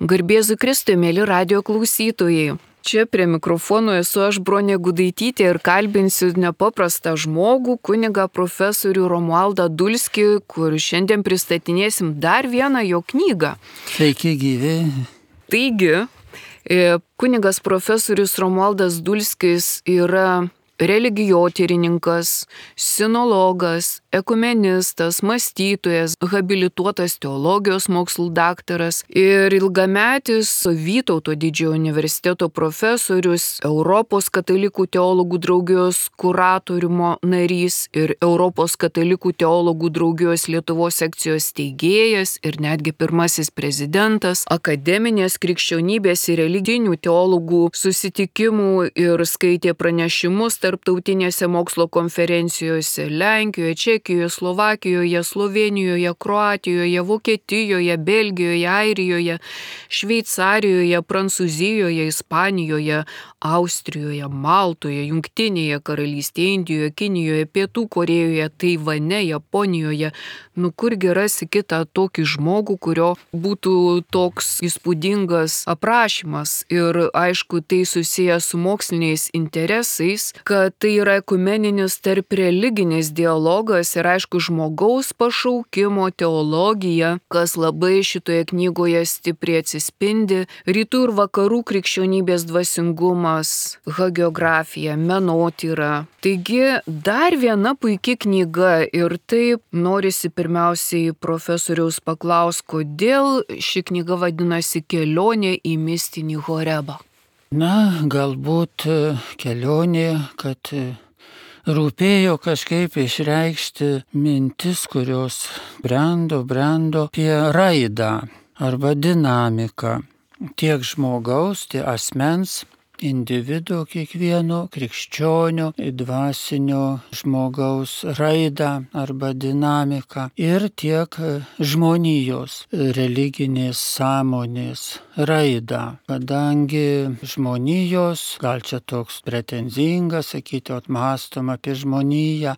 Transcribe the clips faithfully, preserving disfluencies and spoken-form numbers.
Garbėzu Kristui, mėly radijo klausytojai. Čia prie mikrofono esu aš, Bronė Gudaitytė, ir kalbinsiu nepaprastą žmogų, kunigą profesorių Romualdą Dulskį, kur šiandien pristatinėsim dar vieną jo knygą. Sveiki gyvi. Taigi, kunigas profesorius Romualdas Dulskis yra religijotyrininkas, sinologas, ekumenistas, mąstytojas, habilituotas teologijos mokslų daktaras ir ilgametis Vytauto didžiojo universiteto profesorius, Europos katalikų teologų draugijos kuratoriumo narys ir Europos katalikų teologų draugijos Lietuvos sekcijos steigėjas ir netgi pirmasis prezidentas, akademinės krikščionybės ir religinių teologų susitikimų ir skaitė pranešimus tarptautinėse mokslo konferencijose Lenkijoje, Čekijoje, Slovakijoje, Slovėnijoje, Kroatijoje, Vokietijoje, Belgijoje, Airijoje, Šveicarijoje, Prancūzijoje, Ispanijoje, Austrijoje, Maltoje, Jungtinėje karalystėje, Indijoje, Kinijoje, Pietų Korėjoje, Taivane, Japonijoje. Nu kurgi rasi kitą tokį žmogų, kurio būtų toks įspūdingas aprašymas. Ir aišku, tai susijęs su moksliniais interesais, kad tai yra ekumeninis tarp religinis dialogas ir aišku žmogaus pašaukimo teologija, kas labai šitoje knygoje stipriai atsispindi, rytų ir vakarų krikščionybės dvasingumas, hagiografija, menotyra. Taigi dar viena puiki knyga ir taip norisi pirmiausiai profesoriaus paklaus, kodėl ši knyga vadinasi Kelionė į mistinį Horebą. Na, galbūt kelionė, kad rūpėjo kažkaip išreikšti mintis, kurios brendo, brendo apie raidą arba dinamiką tiek žmogaus, tiek asmens, individo kiekvieno, krikščionio, dvasinio žmogaus raidą arba dinamiką ir tiek žmonijos religinės sąmonės raidą. Kadangi žmonijos, gal čia toks pretenzingas sakyti, atmąstom apie žmoniją,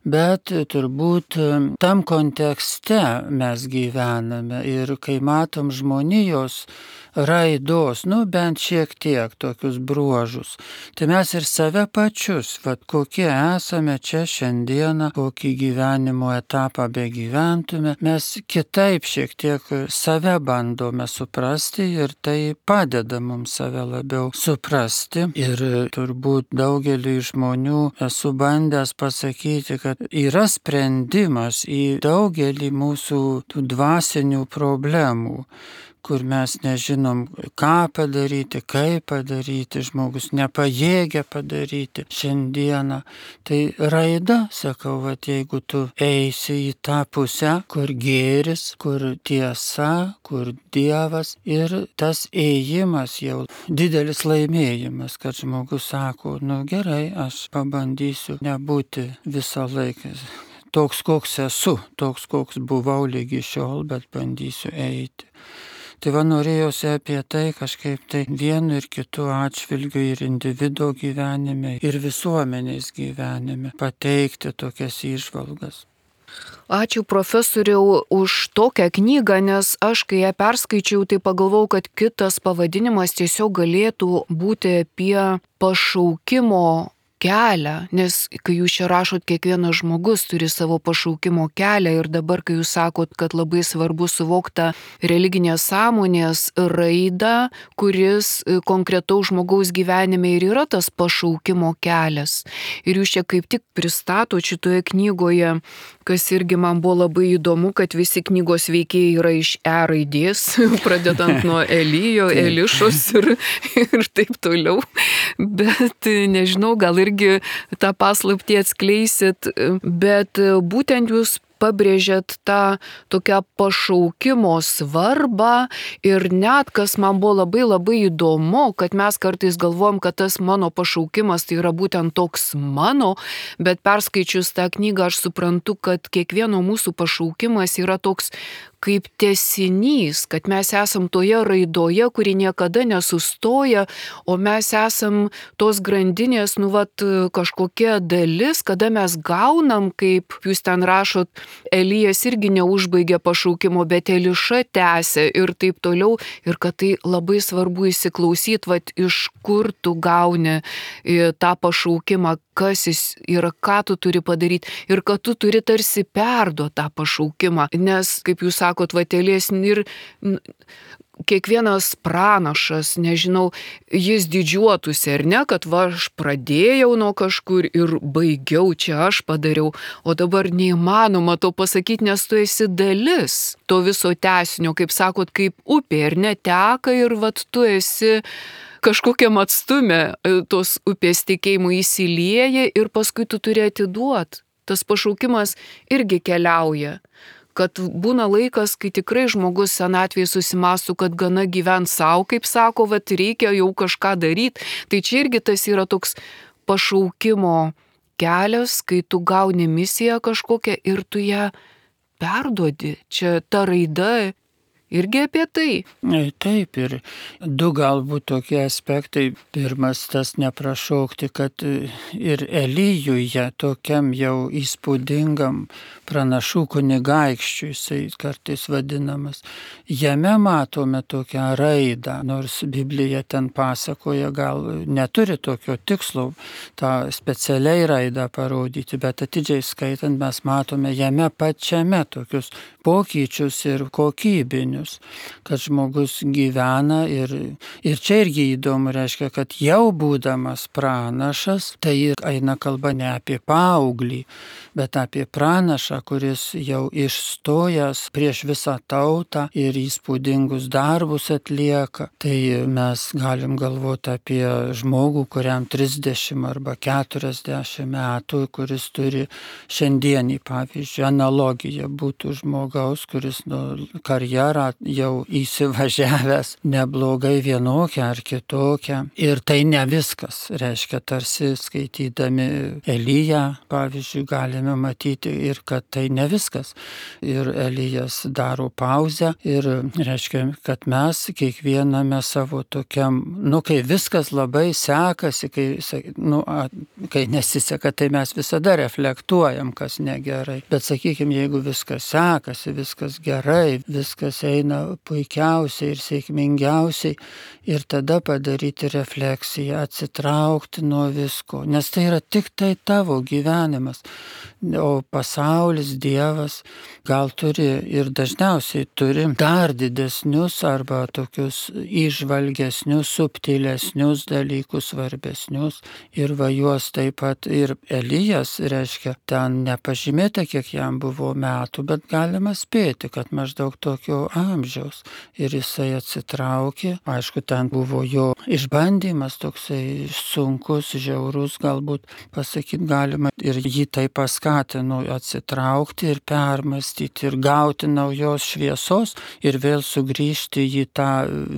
bet turbūt tam kontekste mes gyvename ir kai matom žmonijos raidos, nu bent šiek tiek tokius bruožus, tai mes ir save pačius, vat kokie esame čia šiandieną, kokį gyvenimo etapą begyventume, mes kitaip šiek tiek save bandome suprasti ir tai padeda mums save labiau suprasti. Ir turbūt daugeliui žmonių esu bandęs pasakyti, kad yra sprendimas į daugelį mūsų tų dvasinių problemų, kur mes nežinom, ką padaryti, kaip padaryti, žmogus nepajėgia padaryti šiandieną. Tai raida, sakau, vat, jeigu tu eisi į tą pusę, kur gėris, kur tiesa, kur Dievas, ir tas ėjimas jau didelis laimėjimas, kad žmogus sako, nu gerai, aš pabandysiu nebūti visą laiką toks, koks esu, toks, koks buvau lygi šiol, bet bandysiu eiti. Tai va norėjosi apie tai kažkaip tai vienu ir kitu atžvilgiu ir individo gyvenime, ir visuomenės gyvenime pateikti tokias įžvalgas. Ačiū profesoriau už tokią knygą, nes aš kai ją perskaičiau, tai pagalvojau, kad kitas pavadinimas tiesiog galėtų būti apie pašaukimo kelią, nes kai jūs čia rašot, kiekvienas žmogus turi savo pašaukimo kelią ir dabar, kai jūs sakot, kad labai svarbu suvokti religinės sąmonės raidą, kuris konkretaus žmogaus gyvenime ir yra tas pašaukimo kelias. Ir jūs čia kaip tik pristatot šitoje knygoje, kas irgi man buvo labai įdomu, kad visi knygos veikėjai yra iš E raidės, pradedant nuo Elijo, Elišos ir, ir taip toliau. Bet nežinau, gal ir tą paslaptį atskleisit, bet būtent jūs pabrėžėt tą tokią pašaukimo svarbą ir net, kas man buvo labai labai įdomu, kad mes kartais galvojam, kad tas mano pašaukimas tai yra būtent toks mano, bet perskaičius tą knygą aš suprantu, kad kiekvieno mūsų pašaukimas yra toks kaip tęsinys, kad mes esam toje raidoje, kuri niekada nesustoja, o mes esam tos grandinės, nu vat, kažkokia dalis, kada mes gaunam, kaip jūs ten rašot, Elijas irgi neužbaigė pašaukimo, bet Eliša tęsė ir taip toliau, ir kad tai labai svarbu įsiklausyti, vat, iš kur tu gauni tą pašaukimą, kas jis yra, ką tu turi padaryti ir kad tu turi tarsi perduoti tą pašaukimą, nes, kaip jūs sakot, vatėlės ir kiekvienas pranašas, nežinau, jis didžiuotųsi ar ne, kad va, aš pradėjau nuo kažkur ir baigiau, čia aš padariau, o dabar neįmanoma to pasakyti, nes tu esi dalis to viso tęsinio, kaip sakot, kaip upė ir neteka ir vat tu esi kažkokiam atstume tos upės tikėjimų įsilieja ir paskui tu turi atiduoti. Tas pašaukimas irgi keliauja. Kad būna laikas, kai tikrai žmogus senatvėje susimąstų, kad gana gyvent savo, kaip sako, vat reikia jau kažką daryti. Tai čia irgi tas yra toks pašaukimo kelias, kai tu gauni misiją kažkokią ir tu ją perduodi. Čia ta raida irgi apie tai. Taip, ir du galbūt tokie aspektai. Pirmas tas neprašaukti, kad ir Elijuje tokiam jau įspūdingam pranašų kunigaikščiui, jisai kartais vadinamas, jame matome tokią raidą, nors Biblija ten pasakoja, gal neturi tokio tikslo tą specialiai raidą parodyti, bet atidžiai skaitant mes matome jame pačiame tokius pokyčius ir kokybinius, kad žmogus gyvena ir, ir čia irgi įdomu, reiškia, kad jau būdamas pranašas, tai eina kalba ne apie paauglį, bet apie pranašą, kuris jau išstojęs prieš visą tautą ir įspūdingus darbus atlieka. Tai mes galim galvoti apie žmogų, kuriam trisdešimt arba keturiasdešimt metų, kuris turi šiandienį, pavyzdžiui, analogiją būtų žmogaus, kuris nu, karjerą jau įsivažiavęs neblogai vienokią ar kitokią. Ir tai ne viskas. Reiškia, tarsi skaitydami Eliją, pavyzdžiui, galime matyti ir kad tai ne viskas. Ir Elijas daro pauzę ir reiškia, kad mes kiekviename savo tokiam, nu, kai viskas labai sekasi, kai, nu, kai nesiseka, tai mes visada reflektuojam, kas negerai. Bet sakykime, jeigu viskas sekasi, viskas gerai, viskas eina puikiausiai ir sėkmingiausiai, ir tada padaryti refleksiją, atsitraukti nuo visko, nes tai yra tik tai tavo gyvenimas. O pasaulis, Dievas gal turi ir dažniausiai turi dar didesnius arba tokius įžvalgesnius, subtilesnius dalykus, svarbesnius. Ir va juos taip pat ir Elijas, reiškia, ten nepažymėta, kiek jam buvo metų, bet galima spėti, kad maždaug tokio amžiaus. Ir jisai atsitraukė, aišku, ten buvo jo išbandymas toksai sunkus, žiaurus, galbūt pasakyti galima, ir jį tai paskatino atsitraukti ir permastyti ir gauti naujos šviesos ir vėl sugrįžti į tą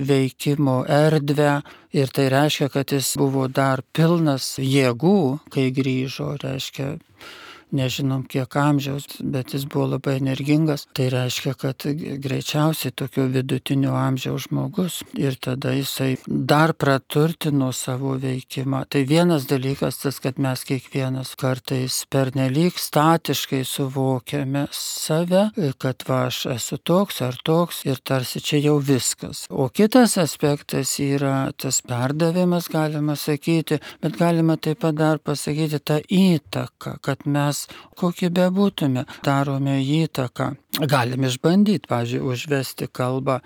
veikimo erdvę. Ir tai reiškia, kad jis buvo dar pilnas jėgų, kai grįžo, reiškia, nežinom kiek amžiaus, bet jis buvo labai energingas. Tai reiškia, kad greičiausiai tokio vidutinio amžiaus žmogus ir tada jisai dar praturtino savo veikimą. Tai vienas dalykas tas, kad mes kiekvienas kartais pernelyg statiškai suvokiame save, kad va aš esu toks ar toks ir tarsi čia jau viskas. O kitas aspektas yra tas perdavimas, galima sakyti, bet galima taip pat dar pasakyti tą įtaką, kad mes kokie bebūtume, darome įtaką. Galim išbandyti, pavyzdžiui, užvesti kalbą,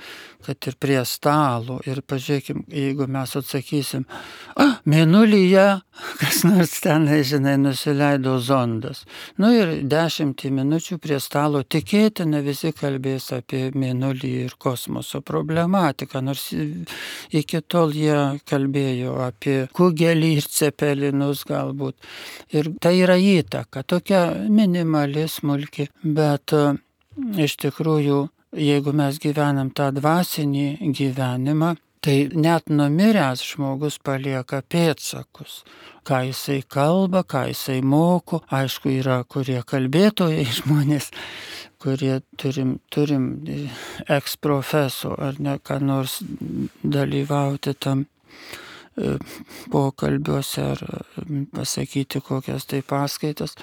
kad ir prie stalo. Ir pažiūrėkim, jeigu mes atsakysim, a, mėnulyje, kas nors ten, žinai, nusileido zondas. Nu ir dešimtį minučių prie stalo tikėtina visi kalbės apie mėnulį ir kosmoso problematiką, nors iki tol jie kalbėjo apie kugelį ir cepelinus galbūt. Ir tai yra įtaka, tokia minimali, smulki, bet iš tikrųjų, jeigu mes gyvenam tą dvasinį gyvenimą, tai net numiręs žmogus palieka pėdsakus. Ką jisai kalba, ką jisai moko, aišku, yra kurie kalbėtojai žmonės, kurie turim, turim eksprofeso ar ne ką nors dalyvauti tam pokalbiuose ar pasakyti kokias tai paskaitas.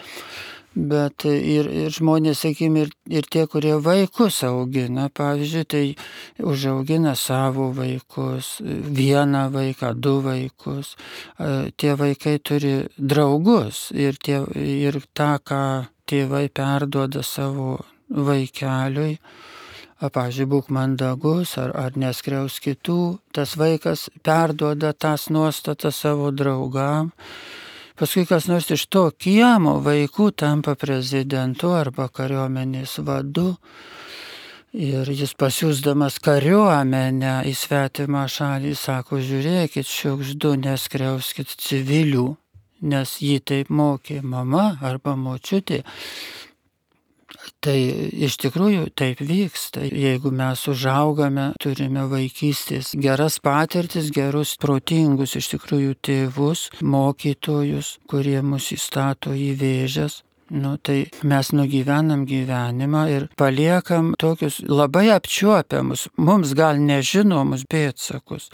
Bet ir, ir žmonės, sakykime, ir, ir tie, kurie vaikus augina, pavyzdžiui, tai užaugina savo vaikus, vieną vaiką, du vaikus. Tie vaikai turi draugus ir, tie, ir tą, ką tėvai perduoda savo vaikeliui, pavyzdžiui, būk mandagus ar, ar neskriaus kitų, tas vaikas perduoda tas nuostatas savo draugam. Paskui kas nors iš to kiemo vaikų tampa prezidentu arba kariuomenės vadu ir jis pasiųsdamas kariuomenę į svetimą šalį sako, žiūrėkit, šiukšdu, neskriauskit civilių, nes jį taip mokė mama arba močiutė. Tai iš tikrųjų taip vyksta. Jeigu mes užaugame, turime vaikystės geras patirtis, gerus, protingus iš tikrųjų tėvus, mokytojus, kurie mus įstato į vėžes, nu, tai mes nugyvenam gyvenimą ir paliekam tokius labai apčiuopiamus, mums gal nežinomus pėdsakus.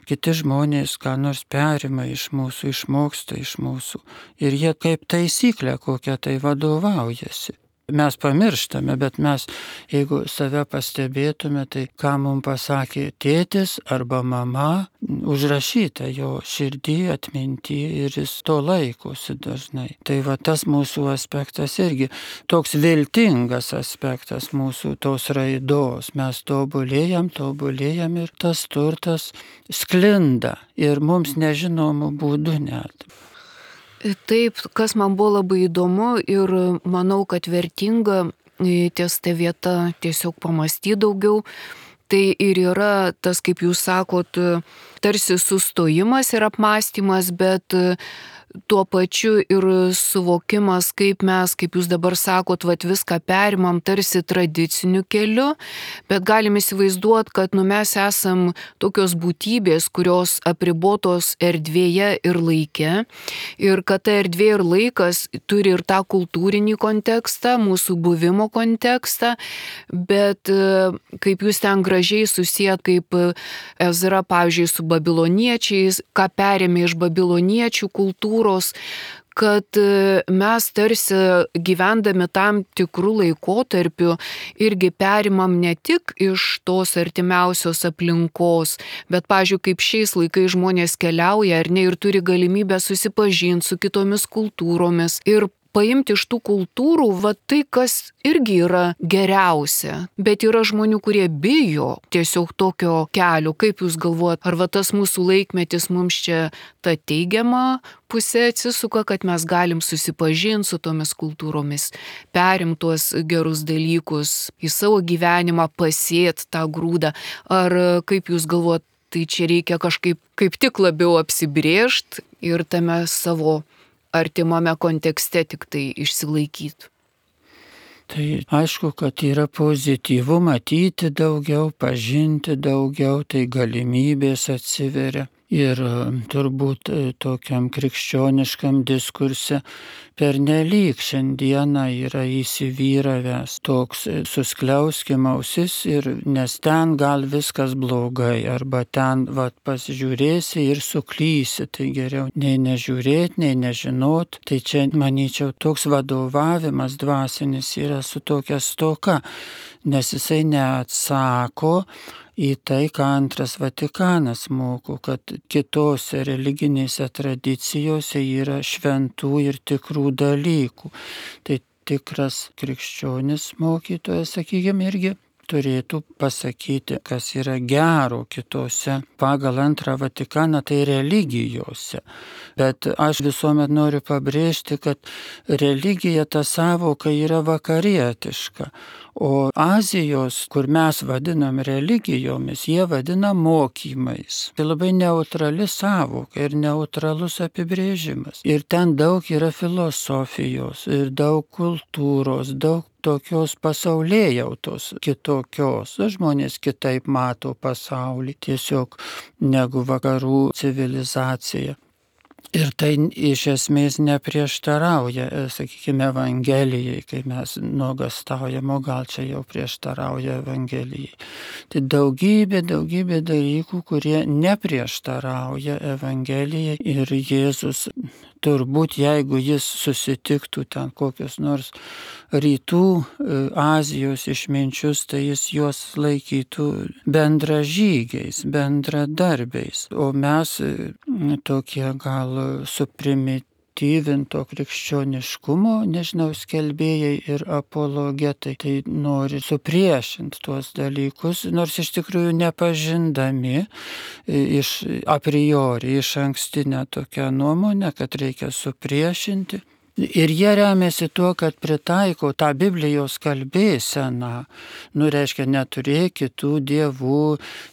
Kiti žmonės ką nors perima iš mūsų, išmoksta iš mūsų ir jie kaip taisyklė kokia tai vadovaujasi. Mes pamirštame, bet mes, jeigu save pastebėtume, tai ką mums pasakė tėtis arba mama, užrašyta jo širdį, atminty ir jis to laikosi dažnai. Tai va tas mūsų aspektas irgi toks viltingas aspektas mūsų tos raidos. Mes tobulėjam, tobulėjam ir tas turtas sklinda ir mums nežinomų būdų net. Taip, kas man buvo labai įdomu ir manau, kad vertinga ties ta vieta tiesiog pamastyti daugiau, tai ir yra tas, kaip jūs sakot, tarsi sustojimas ir apmąstymas, bet tuo pačiu ir suvokimas, kaip mes, kaip jūs dabar sakot, vat viską perimam tarsi tradiciniu keliu, bet galim įsivaizduoti, kad nu, mes esam tokios būtybės, kurios apribotos erdvėje ir laike, ir kad ta erdvė ir laikas turi ir tą kultūrinį kontekstą, mūsų buvimo kontekstą, bet kaip jūs ten gražiai susijat, kaip Ezra, pavyzdžiui, su babiloniečiais, ką perėmė iš babiloniečių kultūros, kad mes tarsi gyvendami tam tikrų laikotarpių irgi perimam ne tik iš tos artimiausios aplinkos, bet, pavyzdžiui, kaip šiais laikais žmonės keliauja ar ne ir turi galimybę susipažinti su kitomis kultūromis ir paimti iš tų kultūrų, va tai, kas irgi yra geriausia. Bet yra žmonių, kurie bijo tiesiog tokio kelio. Kaip jūs galvojat, ar va tas mūsų laikmetis mums čia ta teigiama pusė atsisuka, kad mes galim susipažinti su tomis kultūromis, perimti tuos gerus dalykus į savo gyvenimą, pasėti tą grūdą. Ar kaip jūs galvojat, tai čia reikia kažkaip kaip tik labiau apsibrėžti ir tame savo artimame kontekste tik tai išsilaikyti. Tai aišku, kad yra pozityvu matyti daugiau, pažinti daugiau, tai galimybės atsiveria. Ir turbūt tokiam krikščioniškam diskurse pernelyg šiandieną yra įsivyravęs toks suskliauskim ausis, ir, nes ten gal viskas blogai, arba ten vat, pasižiūrėsi ir suklysi, tai geriau nei nežiūrėti, nei nežinot. Tai čia, manyčiau, toks vadovavimas dvasinis yra su tokia stoka, nes jisai neatsako į tai, ką antras Vatikanas moko, kad kitose religinėse tradicijose yra šventų ir tikrų dalykų. Tai tikras krikščionis mokytojas, sakykime, irgi turėtų pasakyti, kas yra gero kitose pagal antrą Vatikaną, tai religijose. Bet aš visuomet noriu pabrėžti, kad religija, ta sąvoka yra vakarietiška, o Azijos, kur mes vadinam religijomis, jie vadina mokymais. Tai labai neutrali sąvoka ir neutralus apibrėžimas. Ir ten daug yra filosofijos, ir daug kultūros, daug tokios pasaulėjautos kitokios. Žmonės kitaip mato pasaulį tiesiog negu vakarų civilizacija. Ir tai iš esmės neprieštarauja, sakykime, Evangelijai, kai mes nuogastaujam, o gal čia jau prieštarauja Evangelijai. Tai daugybė, daugybė dalykų, kurie neprieštarauja Evangelijai ir Jėzus turbūt, jeigu jis susitiktų ten kokius nors rytų Azijos išminčius, tai jis juos laikytų bendražygiais, bendradarbiais. O mes tokie gal suprimityvinto krikščioniškumo, nežinau, skelbėjai ir apologetai, tai nori supriešinti tuos dalykus, nors iš tikrųjų nepažindami iš a priori, iš ankstinę tokią nuomonę, kad reikia supriešinti. Ir jie remiasi tuo, kad pritaiko tą Biblijos kalbėseną. Nu, reiškia, neturėk kitų dievų,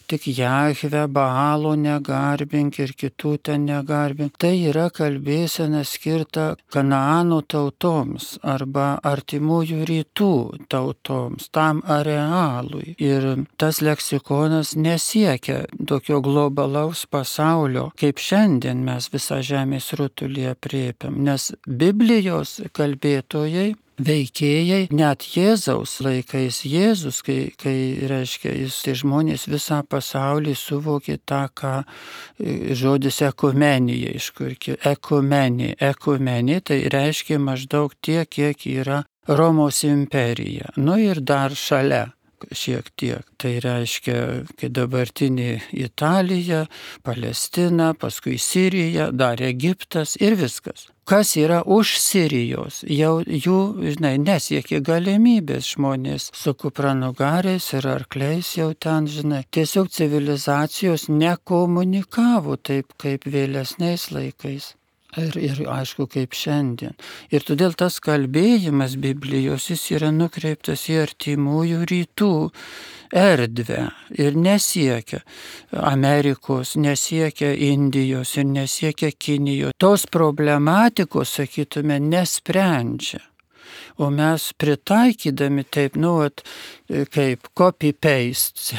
tik Jahvę, Baalo negarbink ir kitų ten negarbink. Tai yra kalbėsena skirta Kanaano tautoms arba artimųjų rytų tautoms, tam arealui. Ir tas leksikonas nesiekia tokio globalaus pasaulio, kaip šiandien mes visą žemės rutulį aprėpiam, nes Biblija jos kalbėtojai, veikėjai, net Jėzaus laikais Jėzus, kai, kai reiškia, jis tai žmonės visą pasaulį suvokė tą, ką žodis ekumenija, iš kur ekumenija, ekumenija, tai reiškia maždaug tiek, kiek yra Romos imperija. Nu ir dar šalia šiek tiek. Tai reiškia, kai dabartinė Italija, Palestina, paskui Sirija, dar Egiptas ir viskas. Kas yra už Sirijos, jau jų, žinai, nesiekia galimybės žmonės su kupranugariais ir arkliais jau ten, žinai. Tiesiog civilizacijos nekomunikavo taip, kaip vėlesniais laikais. Ir, ir aišku, kaip šiandien. Ir todėl tas kalbėjimas Biblijos, jis yra nukreiptas į artimųjų rytų erdvę ir nesiekia Amerikos, nesiekia Indijos ir nesiekia Kinijos. Tos problematikos, sakytume, nesprendžia. O mes pritaikydami taip, nu, at, kaip copy-paste,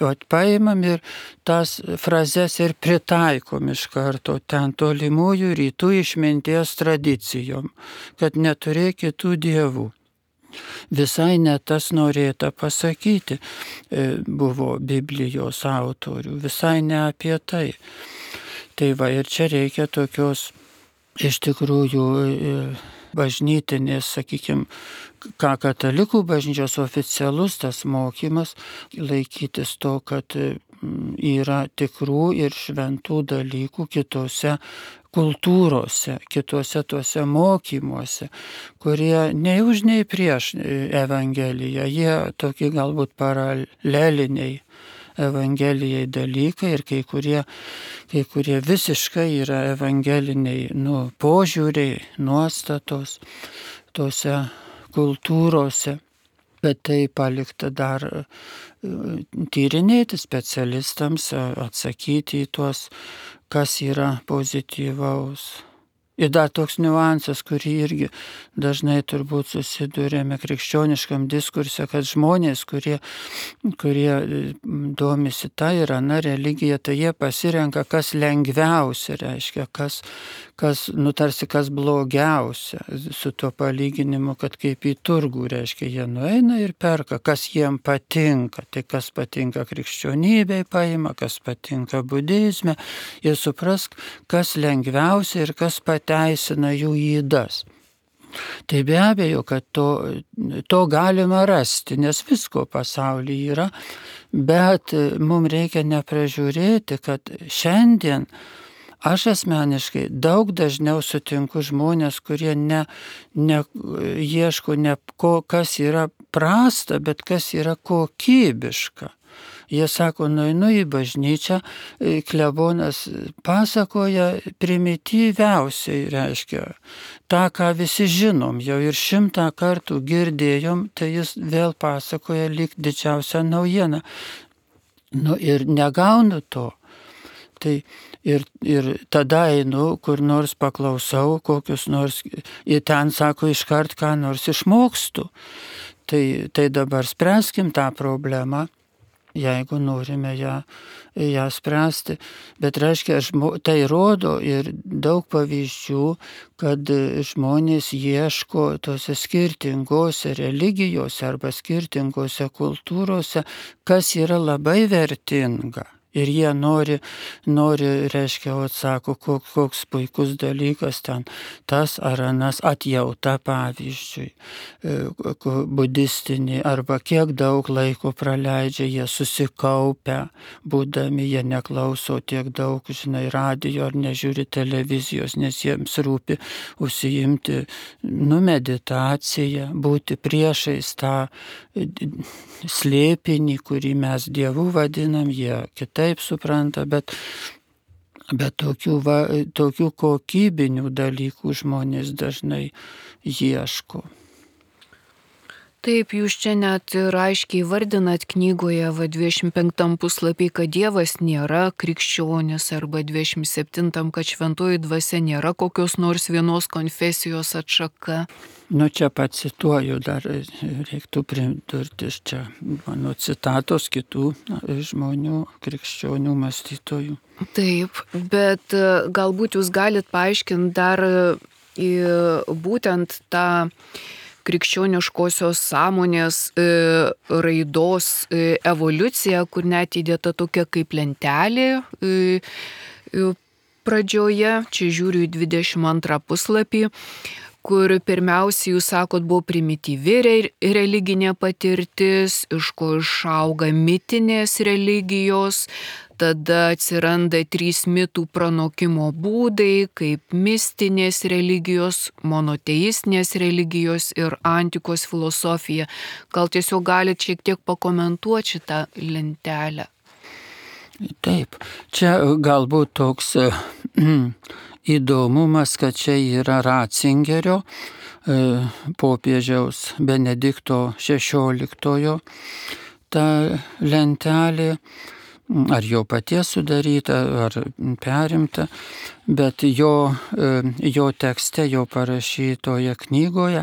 at, paimam ir tas frazes ir pritaikom iš karto ten tolimųjų rytų išminties tradicijom, kad neturėk kitų dievų. Visai ne tas norėta pasakyti buvo Biblijos autorių, visai ne apie tai. Tai va, ir čia reikia tokios iš tikrųjų bažnytinės, sakykime, ką katalikų bažnyčios oficialus tas mokymas, laikytis to, kad yra tikrų ir šventų dalykų kitose kultūrose, kitose tuose mokymuose, kurie nei už nei prieš Evangeliją, jie tokie galbūt paraleliniai Evangelijai dalykai ir kai kurie, kai kurie visiškai yra evangeliniai nu, požiūriai, nuostatos tose kultūrose, bet tai palikta dar tyrinėti specialistams, atsakyti į tuos, kas yra pozityvaus. Ir dar toks niuansas, kurį irgi dažnai turbūt susidurėme krikščioniškam diskurse, kad žmonės, kurie, kurie domisi tą ir aną religiją, tai jie pasirenka, kas lengviausia, reiškia, kas, kas nutarsi, kas blogiausia, su tuo palyginimu, kad kaip į turgų, reiškia, jie nueina ir perka, kas jiem patinka, tai kas patinka krikščionybei paima, kas patinka budizme, ir suprask, kas lengviausia ir kas patinka teisina jų įdas. Tai be abejo, kad to, to galima rasti, nes visko pasaulyje yra, bet mums reikia nepražiūrėti, kad šiandien aš asmeniškai daug dažniau sutinku žmonės, kurie ne, ne ieško ne ko, kas yra prasta, bet kas yra kokybiška. Jie sako, nueinu į bažnyčią, klebonas pasakoja primityviausiai, reiškia, tą, ką visi žinom, jau ir šimtą kartų girdėjom, tai jis vėl pasakoja lyg didžiausią naujieną. Nu ir negaunu to. Tai ir, ir tada einu, kur nors paklausau, kokius nors, ir ten sako iškart, ką nors išmokstu. Tai, tai dabar spręskim tą problemą. jeigu norime ją, ją spręsti. Bet reiškia, tai rodo ir daug pavyzdžių, kad žmonės ieško tose skirtingose religijose arba skirtingose kultūrose, kas yra labai vertinga. Ir jie nori, nori reiškia, atsako, koks, koks puikus dalykas ten, tas ar anas atjauta, pavyzdžiui, budistinė, arba kiek daug laiko praleidžia, jie susikaupę, būdami, jie neklauso tiek daug, žinai, radijo ar nežiūri televizijos, nes jiems rūpi užsiimti, nu, meditaciją, būti priešais tą slėpinį, kurį mes Dievu vadinam, jie kitaip supranta, bet, bet tokių, va, tokių kokybinių dalykų žmonės dažnai ieško. Taip, jūs čia net ir aiškiai vardinat knygoje va dvidešimt penktam puslapį, kad Dievas nėra krikščionis, arba dvidešimt septintam, kad šventoji dvasia nėra kokios nors vienos konfesijos atšaka. Nu, čia pacituoju, dar reiktų pridurti čia mano citatos kitų žmonių, krikščionių mąstytojų. Taip, bet galbūt jūs galit paaiškinti dar būtent tą krikščioniškosios sąmonės e, raidos e, evoliucija, kur net įdėta tokia kaip lentelė e, e, pradžioje, čia žiūriu į dvidešimt antrą puslapį, kur pirmiausiai, jūs sakot, buvo primityvi re, religinė patirtis, iš ko išauga mitinės religijos, tada atsiranda trys mitų pranokimo būdai, kaip mistinės religijos, monoteistinės religijos ir antikos filosofija. Gal tiesiog galite šiek tiek pakomentuoti šitą lentelę? Taip, čia galbūt toks įdomumas, kad čia yra Ratzingerio, popiežiaus Benedikto šešioliktojo ta lentelė, ar jo paties sudaryta, ar perimta, bet jo, jo tekste, jo parašytoje knygoje,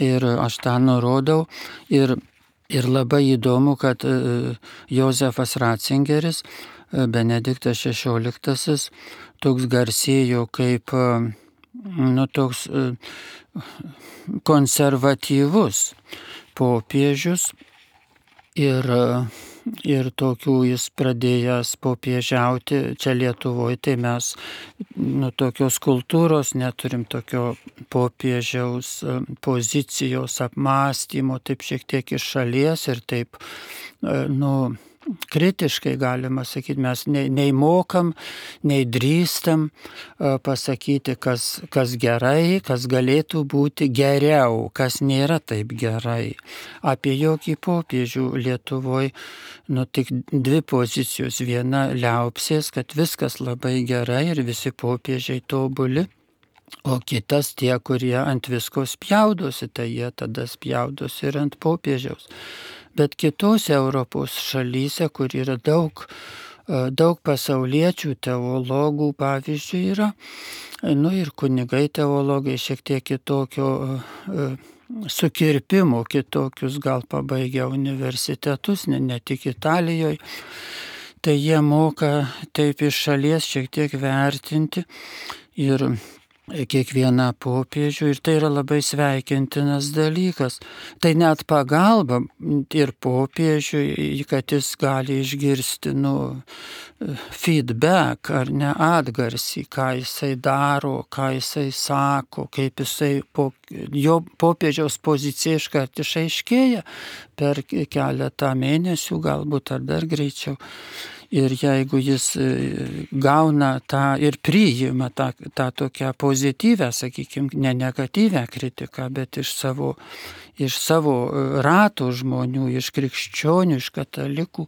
ir aš tą nurodau, ir, ir labai įdomu, kad Jozefas Ratzingeris, Benediktas šešioliktasis, toks garsėjo kaip, nu, toks konservatyvus popiežius, ir Ir tokių jis pradėjęs popiežiauti čia Lietuvoje, tai mes nu, tokios kultūros neturim, tokio popiežiaus pozicijos apmąstymo, taip šiek tiek iš šalies ir taip, nu, kritiškai galima sakyti, mes nei, nei mokam, nei drįstam uh, pasakyti, kas, kas gerai, kas galėtų būti geriau, kas nėra taip gerai. Apie jokį popiežių Lietuvoje, nu tik dvi pozicijos. Viena liaupsės, kad viskas labai gerai ir visi popiežiai tobuli. O kitas tie, kurie ant visko spjaudosi, tai jie tada spjaudosi ir ant popiežiaus. Bet kitose Europos šalyse, kur yra daug, daug pasauliečių teologų, pavyzdžiui, yra, nu ir kunigai teologai šiek tiek kitokio sukirpimo, kitokius gal pabaigia universitetus, ne, ne tik Italijoje, tai jie moka taip iš šalies šiek tiek vertinti ir kiekvieną popiežių, ir tai yra labai sveikintinas dalykas. Tai net pagalba ir popiežiui, kad jis gali išgirsti, nu, feedback ar ne atgarsį, ką jisai daro, ką jisai sako, kaip jisai, po, jo popiežiaus pozicija iškart išaiškėja per keletą mėnesių, galbūt ar dar greičiau. Ir jeigu jis gauna tą ir priima tą, tą tokią pozityvę, sakykime, ne negatyvę kritiką, bet iš savo, iš savo rato žmonių, iš krikščionių, iš katalikų,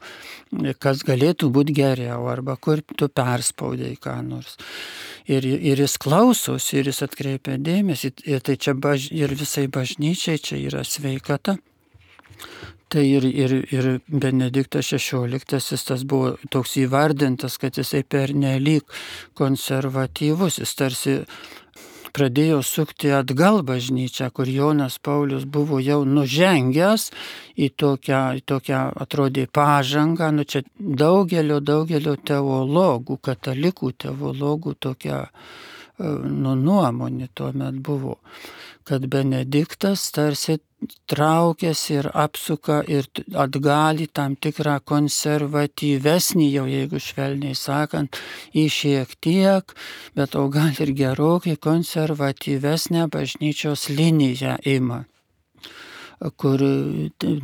kas galėtų būti geriau, arba kur tu perspaudai ką nors. Ir, ir jis klausosi, ir jis atkreipia dėmesį, ir tai čia baž, ir visai bažnyčiai čia yra sveikata. Tai ir, ir, ir Benediktas šešioliktasis tas buvo toks įvardintas, kad jisai pernelyg konservatyvus, jis tarsi pradėjo sukti atgal bažnyčią, kur Jonas Paulius buvo jau nužengęs į tokią, į tokią atrodė pažangą. Nu, čia daugelio, daugelio teologų, katalikų teologų tokia nu, nuomonė tuomet buvo, kad Benediktas tarsi traukiasi ir apsuka ir atgal į tam tikrą konservatyvesnį, jau jeigu švelniai sakant, į šiek tiek, bet o gal ir gerokai konservatyvesnę bažnyčios liniją ima, kur,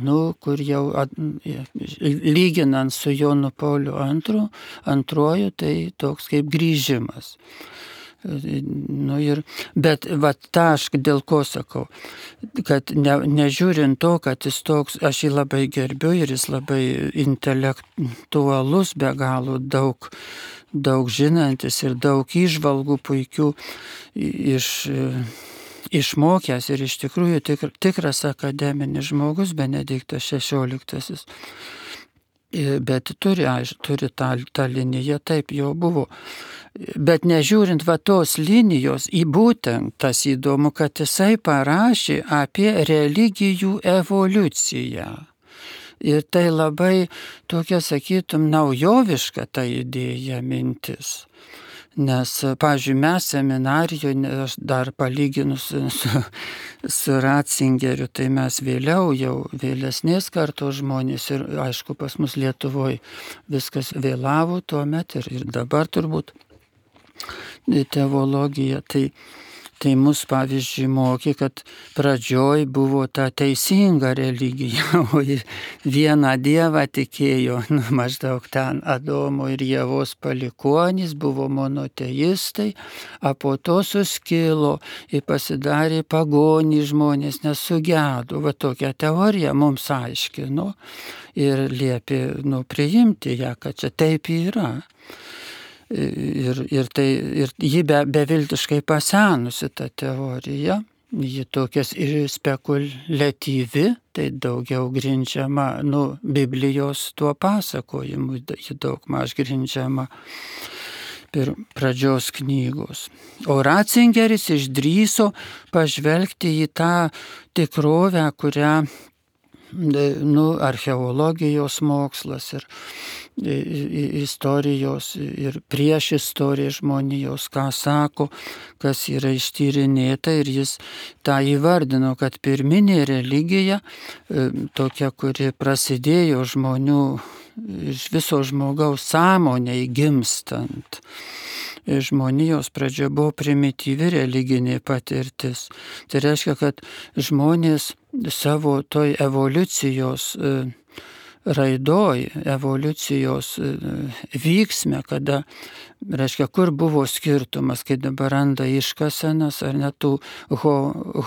nu, kur jau at, lyginant su Jonu Pauliu antru, antruoju, tai toks kaip grįžimas. Nu ir, bet vat tą aš dėl ko sakau, kad ne, nežiūrint to, kad jis toks, aš jį labai gerbiu ir jis labai intelektualus, be galo daug, daug žinantis ir daug įžvalgų puikių iš, išmokęs ir iš tikrųjų tikr, tikras akademinis žmogus Benediktas šešioliktasis. Bet turi, aiš, turi tą, tą liniją, taip jau buvo. Bet nežiūrint va tos linijos, į būtent tas įdomu, kad jisai parašė apie religijų evoliuciją. Ir tai labai tokia, sakytum, naujoviška ta idėja, mintis. Nes, pavyzdžiui, mes seminarijoje, aš dar palyginus su, su Ratzingeriu, tai mes vėliau, jau vėlesnės kartos žmonės ir, aišku, pas mus Lietuvoje viskas vėlavo tuomet ir, ir dabar turbūt teologija, tai, tai mus, pavyzdžiui, mokė, kad pradžioj buvo ta teisinga religija, o vieną dievą tikėjo, nu, maždaug ten Adomo ir Ievos palikuonys, buvo monoteistai, o po to suskilo ir pasidarė pagonys žmonės, nesugedo. Va tokią teoriją mums aiškino ir liepė, nu, priimti ją, kad čia taip yra. Ir, ir, tai, ir ji be, beviltiškai pasenusi ta teorija, ji tokias ir spekuliatyvi, tai daugiau grindžiama, nu, Biblijos tuo pasakojimu, ji daug maž grindžiama per pradžios knygos. O Ratzingeris išdrįso pažvelgti į tą tikrovę, kurią, nu, archeologijos mokslas ir istorijos ir prieš istoriją žmonijos, ką sako, kas yra ištyrinėta, ir jis tą įvardino, kad pirminė religija, tokia, kuri prasidėjo žmonių, iš viso žmogaus sąmonei gimstant, žmonijos pradžia buvo primityvi religinė patirtis. Tai reiškia, kad žmonės savo toj evoliucijos raidoj, evoliucijos vyksme, kada, reiškia, kur buvo skirtumas, kai dabar randa iškasenas, ar ne tų ho,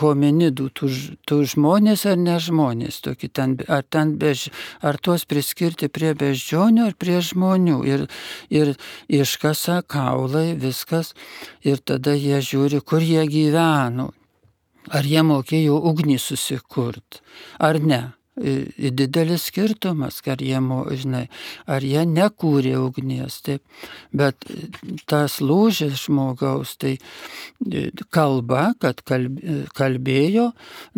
hominidų, tų, tų žmonės ar ne žmonės, tokį ten, ar, ten bež, ar tuos priskirti prie beždžionių ar prie žmonių. Ir, ir iškasa, kaulai, viskas, ir tada jie žiūri, kur jie gyveno, ar jie mokėjo ugnį susikurt, ar ne. Didelis skirtumas, ar jie, žinai, ar jie nekūrė ugnies, taip, bet tas lūžis žmogaus, tai kalba, kad kalbėjo,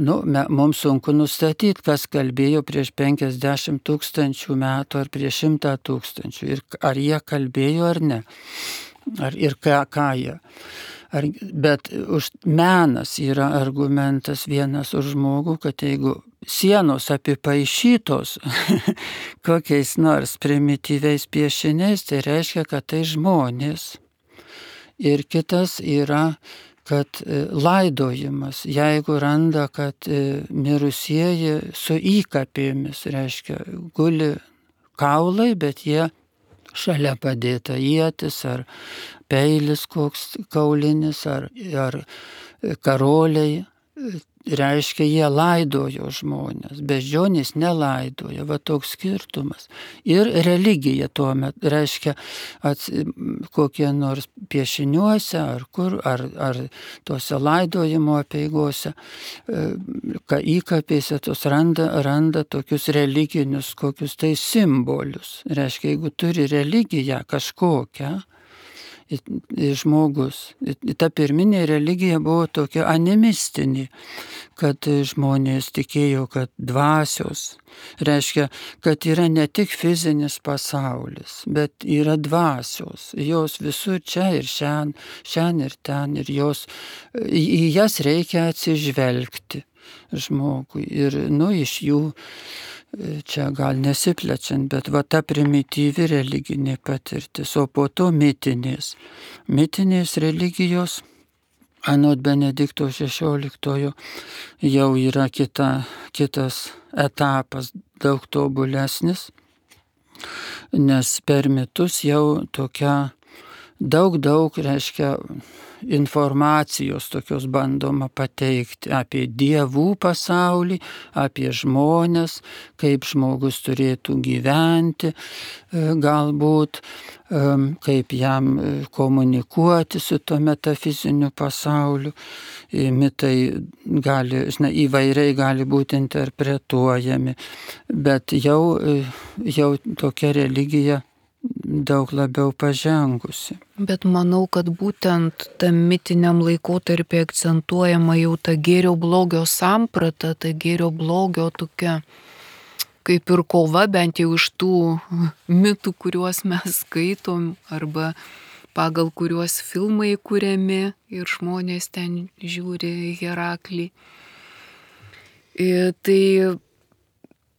nu, mums sunku nustatyti, kas kalbėjo prieš penkiasdešimt tūkstančių metų ar prieš šimtą tūkstančių, ir ar jie kalbėjo ar ne, ar, ir ką, ką jie. Ar, bet už menas yra argumentas vienas už žmogų, kad jeigu sienos apipaišytos kokiais nors primityviais piešiniais, tai reiškia, kad tai žmonės. Ir kitas yra, kad laidojimas, jeigu randa, kad mirusieji su įkapėmis, reiškia, guli kaulai, bet jie šalia padėta ietis ar peilis koks kaulinis ar, ar karoliai, reiškia, jie laidojo žmonės, beždžionės nelaidojo, va toks skirtumas. Ir religija tuomet, reiškia, ats, kokie nors piešiniuose ar kur, ar, ar tose laidojimo apeigose, įkapėse tos randa, randa tokius religinius kokius tai simbolius. Reiškia, jeigu turi religiją kažkokią, žmogus. Ta pirminė religija buvo tokia animistinė, kad žmonės tikėjo, kad dvasios, reiškia, kad yra ne tik fizinis pasaulis, bet yra dvasios. Jos visur čia ir šiandien, šiandien ir ten, ir jos, į jas reikia atsižvelgti žmogui. Ir, nu, iš jų, čia gal nesiplečiant, bet va ta primityvi religinė patirtis, o po to mitinės. Mitinės religijos, anot Benedikto šešioliktojo, jau yra kita, kitas etapas, daug tobulesnis, nes per mitus jau tokia daug, daug, reiškia, informacijos tokios bandoma pateikti apie dievų pasaulį, apie žmones, kaip žmogus turėtų gyventi, galbūt, kaip jam komunikuoti su to metafiziniu pasauliu. Mitai gali, žinai, įvairiai gali būti interpretuojami, bet jau, jau tokia religija daug labiau pažengusi. Bet manau, kad būtent tam mitiniam laikotarpį akcentuojama jau ta gėrio blogio samprata, ta gėrio blogio tokia kaip ir kova, bent jau iš tų mitų, kuriuos mes skaitom, arba pagal kuriuos filmai kuriami ir žmonės ten žiūri Heraklį. Ir tai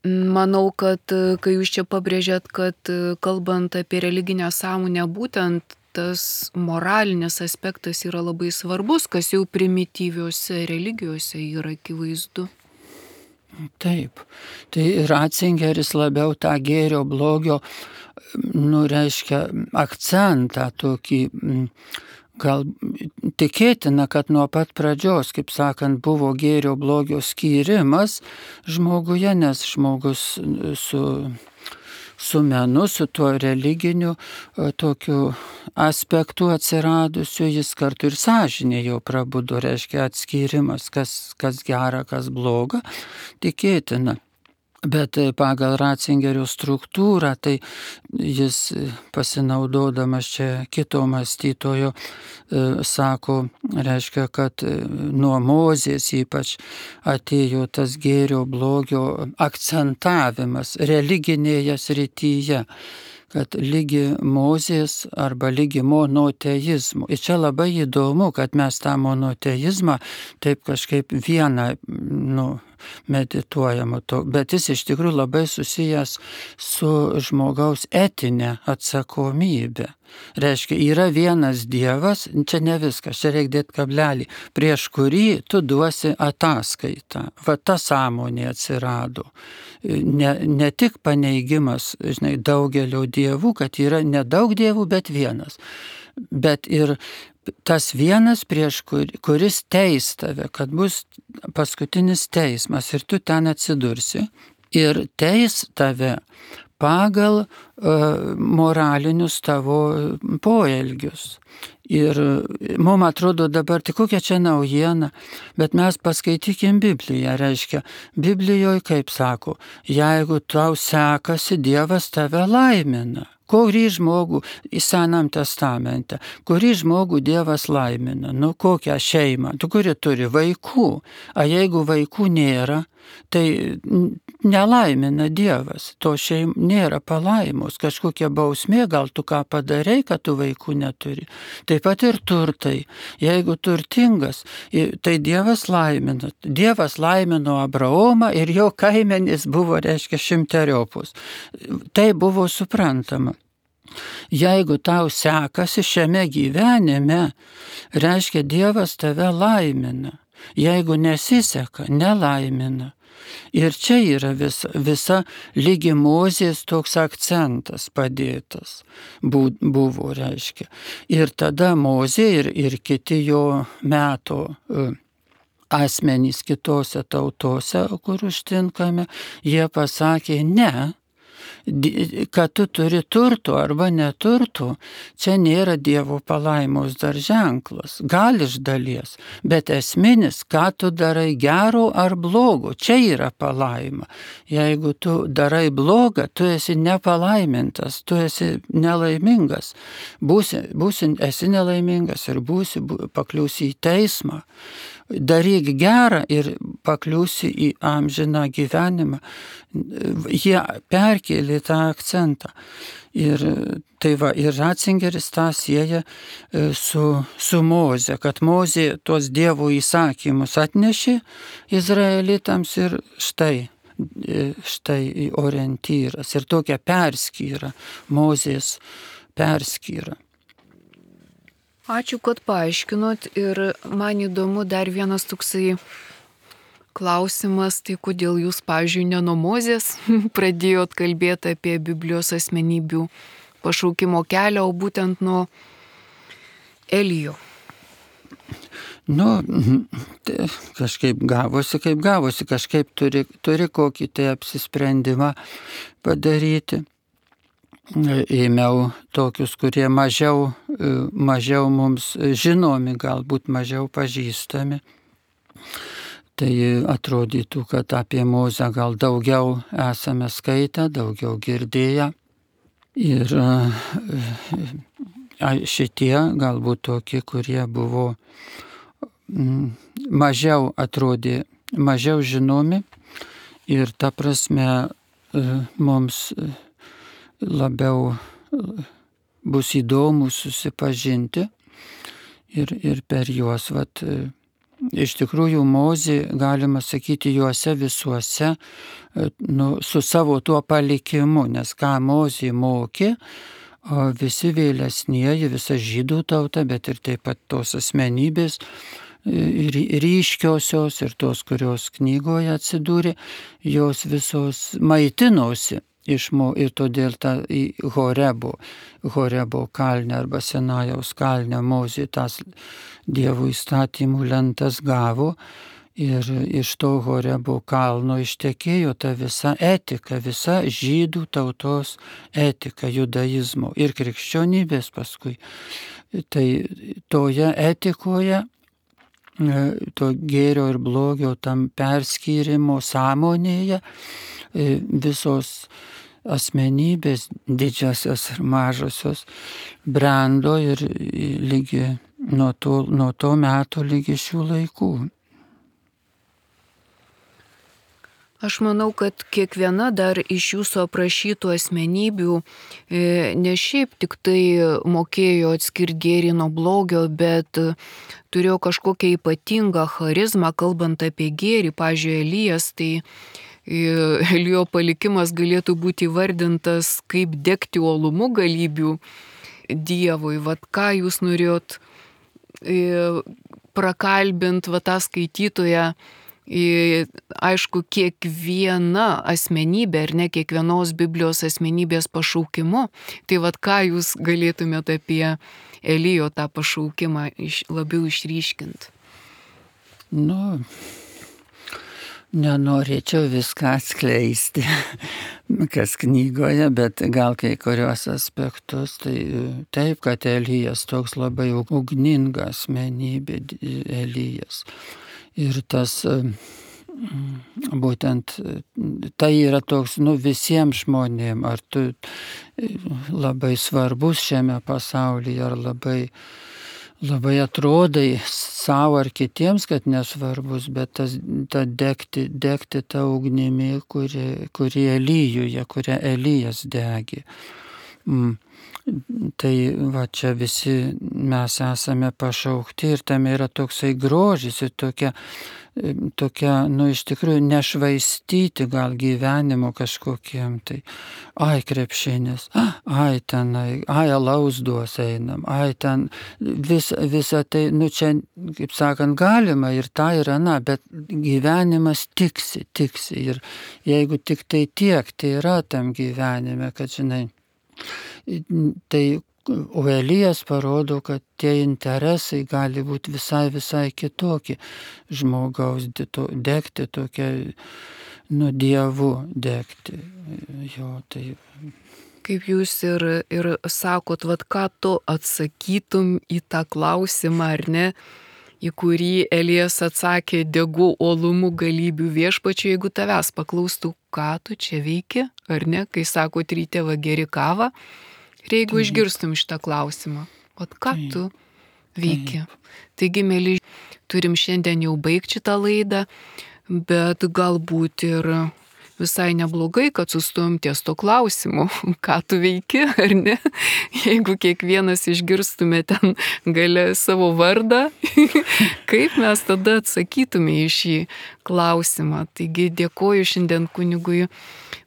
manau, kad kai jūs čia pabrėžėt, kad kalbant apie religinę sąmonę, būtent tas moralinis aspektas yra labai svarbus, kas jau primityviuose religijose yra akivaizdu. Taip, tai Ratzingeris labiau tą gėrio blogio, nu, reiškia, akcentą tokį, gal tikėtina, kad nuo pat pradžios, kaip sakant, buvo gėrio blogio skyrimas žmoguje, nes žmogus su, su menu, su tuo religiniu tokiu aspektu atsiradusiu, jis kartu ir sąžinė jau prabudo, reiškia atskyrimas, kas, kas gera, kas bloga, tikėtina. Bet pagal Ratzingerio struktūrą, tai jis pasinaudodamas čia kito mąstytojo, sako, reiškia, kad nuo Mozės ypač atėjo tas gėrio blogio akcentavimas religinėje srityje, kad lygi Mozės arba lygi monoteizmo. Ir čia labai įdomu, kad mes tą monoteizmą taip kažkaip vieną, nu, medituojama to, bet jis iš tikrųjų labai susijęs su žmogaus etinė atsakomybė. Reiškia, yra vienas Dievas, čia ne viskas, čia reikia dėti kablelį, prieš kurį tu duosi ataskaitą. Va ta sąmonė atsirado. Ne, ne tik paneigimas, žinai, daugelio dievų, kad yra nedaug dievų, bet vienas. Bet ir tas vienas, prieš kur, kuris teis tave, kad bus paskutinis teismas ir tu ten atsidursi ir teis tave pagal uh, moralinius tavo poelgius. Ir mums atrodo dabar, tik kokia čia naujiena, bet mes paskaitykim Bibliją, reiškia, Biblijoje, kaip sako, jeigu tau sekasi, Dievas tave laimina. Kurį žmogų į Senam testamente, kurį žmogų Dievas laimina, nu kokią šeimą, tu kuri turi vaikų, a jeigu vaikų nėra, tai nelaimina Dievas, to šeim nėra palaimos, kažkokia bausmė, gal tu ką padarei, kad tu vaikų neturi. Taip pat ir turtai, jeigu turtingas, tai Dievas laimina, Dievas laimino Abraomą ir jo kaimenys buvo, reiškia, šimteriopus. Tai buvo suprantama. Jeigu tau sekasi šiame gyvenime, reiškia, Dievas tave laimina. Jeigu nesiseka, nelaimina. Ir čia yra visa, visa lygi Mozės toks akcentas padėtas buvo, reiškia. Ir tada Mozė ir, ir kiti jo meto asmenys kitose tautose, kur užtinkame, jie pasakė ne. kad tu turi turtų arba neturtų, čia nėra Dievo palaimos dar ženklas. Gal iš dalies, bet esminis, ką tu darai gero ar blogo, čia yra palaima. Jeigu tu darai blogą, tu esi nepalaimintas, tu esi nelaimingas. Būsi, būsi, esi nelaimingas ir būsi, pakliūsi į teismą. Daryk gerą ir pakliūsi į amžiną gyvenimą. Jie perkėlė tą akcentą. Ir tai va, ir Ratzingeris tą sieja su, su Moze, kad Mozė tuos Dievo įsakymus atnešė izraelitams ir štai, štai orientyras. Ir tokia perskyra, Mozės perskyra. Ačiū, kad paaiškinot ir man įdomu dar vienas toksai klausimas, tai kodėl jūs, pavyzdžiui, ne nuo Mozės pradėjot kalbėti apie Biblijos asmenybių pašaukimo kelią, o būtent nuo Elijo? Nu, kažkaip gavosi, kaip gavosi, kažkaip turi, turi kokį tai apsisprendimą padaryti. Ėmiau tokius, kurie mažiau, mažiau mums žinomi, galbūt mažiau pažįstami. Tai atrodytų, kad apie Mozę gal daugiau esame skaitę, daugiau girdėję. Ir šitie galbūt tokie, kurie buvo mažiau atrodė, mažiau žinomi. Ir ta prasme mums labiau bus įdomu susipažinti ir, ir per juos, vat, iš tikrųjų Mozė, galima sakyti, juose visuose, nu, su savo tuo palikimu, nes ką Mozė mokė, o visi vėlesnieji, visa žydų tauta, bet ir taip pat tos asmenybės, ryškiosios ir tos, kurios knygoje atsidūrė, jos visos maitinosi. Išmo, ir todėl ta į Horebo, Horebo kalnę arba Sinajaus kalnę Mozė tas Dievo įstatymų lentas gavo ir iš to Horebo kalno ištekėjo ta visa etika, visa žydų tautos etika, judaizmo ir krikščionybės paskui. Tai toje etikoje, to gėrio ir blogio tam perskyrimo sąmonėje visos asmenybės, didžiosios ir mažosios, brendo ir lygi nuo to, nuo to meto lygi šių laikų. Aš manau, kad kiekviena dar iš jūsų aprašytų asmenybių ne šiaip tik tai mokėjo atskirti gėrį nuo blogio, bet turėjo kažkokią ypatingą charizmą, kalbant apie gėrį. Pavyzdžiui, Elijas, tai Elijo palikimas galėtų būti įvardintas kaip degti uolumu galybių Dievui. Vat ką jūs norėjot prakalbint va tą skaitytoją, aišku, kiekviena asmenybė, ar ne kiekvienos Biblijos asmenybės pašaukimu. Tai vat ką jūs galėtumėte apie Elijo tą pašaukimą labiau išryškinti? Nu, nenorėčiau viską atskleisti, kas knygoje, bet gal kai kurios aspektus. Tai taip, kad Elijas toks labai ugninga asmenybė, Elijas. Ir tas būtent, tai yra toks, nu, visiems žmonėms, ar tu labai svarbus šiame pasaulyje, ar labai labai atrodai savo ar kitiems, kad nesvarbus, bet tas, ta degti, degti tą ugnimi, kuri, kuri Elijuje, kurią Elijas degė. Mm. Tai va čia visi mes esame pašaukti ir tam yra toksai grožis ir tokia, tokia, nu iš tikrųjų nešvaistyti gal gyvenimo kažkokiem, tai ai krepšinis, ai tenai, ai alaus duos einam, ai ten vis, visa tai, nu čia, kaip sakant, galima ir ta ir ana, bet gyvenimas tiksi, tiksi ir jeigu tik tai tiek, tai yra tam gyvenime, kad žinai, tai o Elijas parodo, kad tie interesai gali būti visai, visai kitokie. Žmogaus degti tokia nu Dievu degti. Jo, tai kaip jūs ir, ir sakot, vat ką tu atsakytum į tą klausimą, ar ne, į kurį Elijas atsakė, degu uolumu galybių viešpačiu, jeigu tavęs paklaustų, ką tu čia veiki, ar ne, kai sakot, ryte va geri kavą, ir jeigu Taip. Išgirstum šitą klausimą, vat ką Taip. Tu veiki. Taip. Taigi, mėly, turim šiandien jau baigti šitą laidą, bet galbūt ir visai neblogai, kad sustojom ties to klausimu, ką tu veiki, ar ne? Jeigu kiekvienas išgirstume ten gale savo vardą, kaip mes tada atsakytume į šį klausimą. Taigi dėkoju šiandien kunigui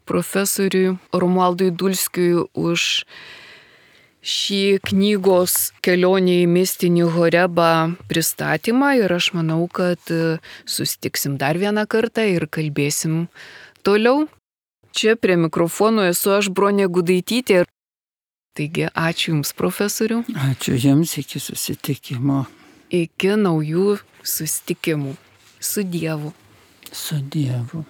profesoriui Romualdui Dulskiui už šį knygos Kelionė į mistinį Horebą pristatymą ir aš manau, kad susitiksim dar vieną kartą ir kalbėsim toliau. Čia prie mikrofono esu aš, Bronė Gudaitytė. Taigi ačiū Jums, profesoriu. Ačiū Jums, iki susitikimo. Iki naujų susitikimų. Su Dievu. Su Dievu.